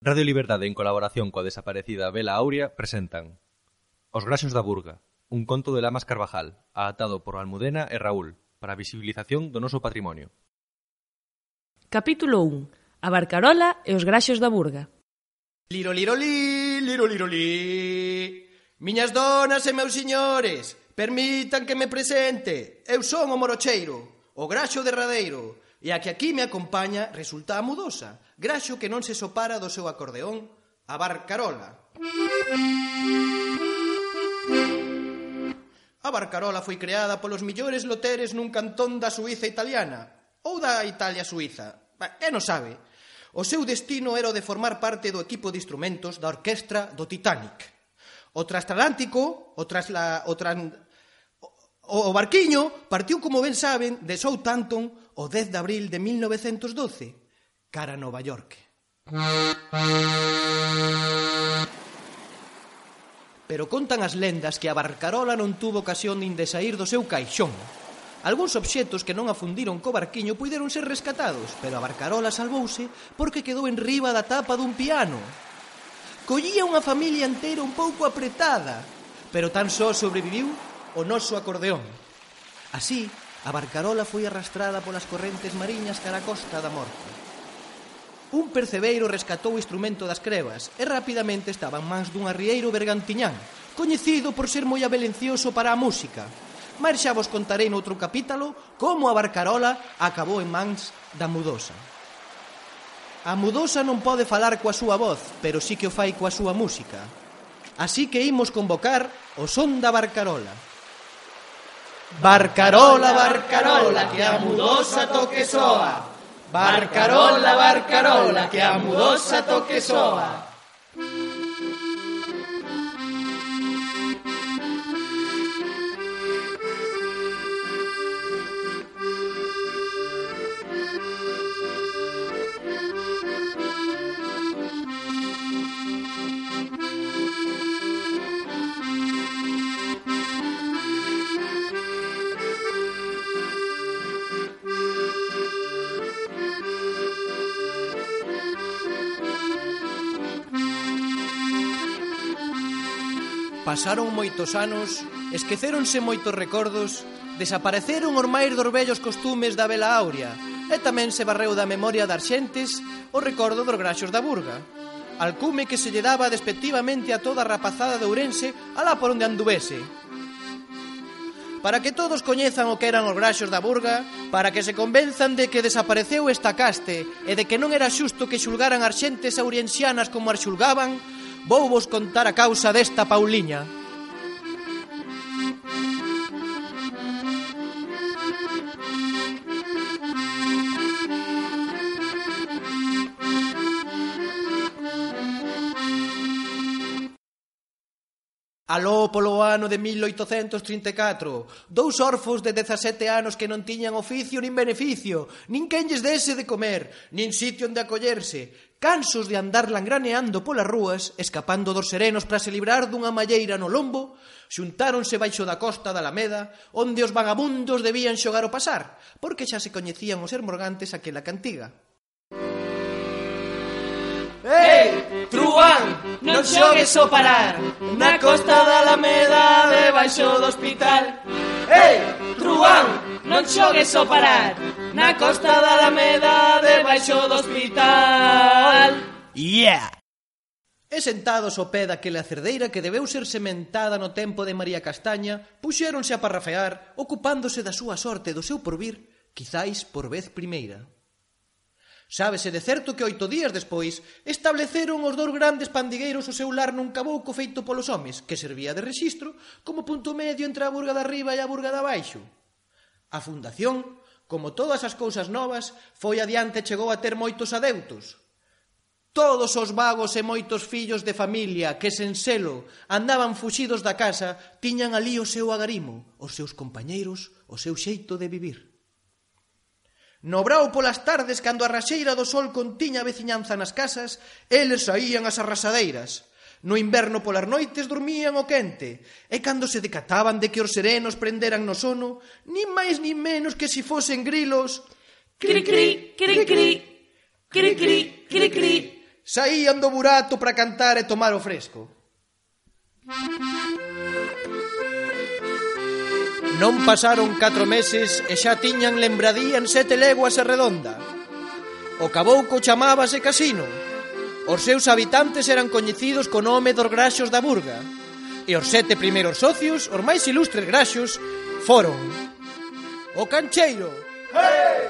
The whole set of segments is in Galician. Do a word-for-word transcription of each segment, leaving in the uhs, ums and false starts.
Radio Liberdade, en colaboración coa desaparecida Vela Aurea, presentan Os Graxos da Burga, un conto de Lamas Carvajal, adaptado por Almudena e Raúl, para a visibilización do noso patrimonio. Capítulo un. A Barcarola e os Graxos da Burga. Liro, liro, li, liro, liro, li. Miñas donas e meus señores, permitan que me presente. Eu son o Morocheiro, o graxo derradeiro, e a que aquí me acompaña resulta a Mudosa, graxo que non se sopara do seu acordeón, a Barcarola. A Barcarola foi creada polos millores loteres nun cantón da Suíza italiana, ou da Italia suíza, que non sabe. O seu destino era o de formar parte do equipo de instrumentos da orquestra do Titanic. O transatlántico, o, trasla, o, tran, o, o barquiño, partiu, como ben saben, de Southampton o dez de abril de mil novecentos doce, cara a Nova York. Pero contan as lendas que a Barcarola non tuvo ocasión nin de saír do seu caixón. Algúns obxetos que non afundiron co barquiño puideron ser rescatados, pero a Barcarola salvouse porque quedou en riba da tapa dun piano. Collía unha familia inteira un pouco apretada, pero tan só sobreviviu o noso acordeón. Así, a Barcarola foi arrastrada polas correntes mariñas cara a costa da morte. Un percebeiro rescatou o instrumento das crevas e rapidamente estaba en mans dun arrieiro bergantiñán, coñecido por ser moi abelencioso para a música. Mas xa vos contarei noutro capítulo como a Barcarola acabou en mans da Mudosa. A Mudosa non pode falar coa súa voz, pero sí que o fai coa súa música. Así que imos convocar o son da Barcarola. Barcarola, Barcarola, que a Mudosa toque soa. Barcarola, Barcarola, que a Mudosa toque soa. Pasaron moitos anos, esquecéronse moitos recordos, desapareceron os máis dos vellos costumes da Vela Aurea e tamén se barreu da memoria das xentes o recordo dos Graxos da Burga, alcume que se lle daba despectivamente a toda a rapazada de Ourense alá por onde anduvese. Para que todos coñezan o que eran os Graxos da Burga, para que se convenzan de que desapareceu esta caste e de que non era xusto que xulgaran as xentes aurensianas como as xulgaban, vou vos contar a causa desta Pauliña. Aló polo ano de mil oitocentos trinta e catro, dous orfos de dezasete anos que non tiñan oficio nin beneficio, nin quen lles dese de comer, nin sitio onde acollerse, cansos de andar langraneando polas rúas, escapando dos serenos para se librar dunha malleira no lombo, xuntáronse baixo da costa da Alameda, onde os vagabundos debían xogar o pasar, porque xa se coñecían os hermorgantes aquela cantiga. Ei, truán, non xogues o parar na costa da Alameda debaixo do hospital. Ei, truán, non xogues o parar na costa da Alameda debaixo do hospital. Yeah! E sentados ao pé daquela cerdeira que debeu ser sementada no tempo de María Castaña, puxéronse a parrafear, ocupándose da súa sorte e do seu porvir, quizáis por vez primeira. Sábese de certo que oito días despois estableceron os dous grandes pandigueiros o seu lar nun cabouco feito polos homes, que servía de rexistro como punto medio entre a burga de arriba e a burga de abaixo. A fundación, como todas as cousas novas, foi adiante e chegou a ter moitos adeutos. Todos os vagos e moitos fillos de familia que sen selo andaban fuxidos da casa tiñan alí o seu agarimo, os seus compañeiros, o seu xeito de vivir. No brao polas tardes, cando a raxeira do sol contiña a veciñanza nas casas, eles saían ás arrasadeiras. No inverno polas noites dormían o quente, e cando se decataban de que os serenos prenderan no sono, nin máis nin menos que si fosen grilos, Cri, cri, cri, cri, cri, cri, cri, cri, saían do burato para cantar e tomar o fresco. Non pasaron catro meses e xa tiñan lembradía en sete leguas e redonda. O cabouco chamábase Casino. Os seus habitantes eran coñecidos co nome dos Graxos da Burga. E os sete primeiros socios, os máis ilustres graxos, foron o Cancheiro, hey!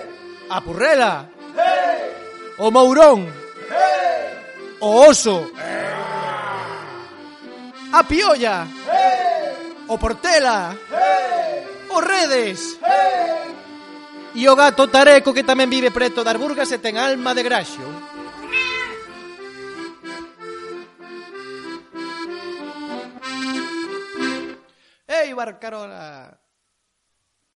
A Purrela, hey! O Mourón, hey! O Oso, hey! A Piolla, hey! O Portela, hey! O Redes, hey! E o gato Tareco, que tamén vive preto das Burgas e ten alma de graxo. Ei, Barcarola!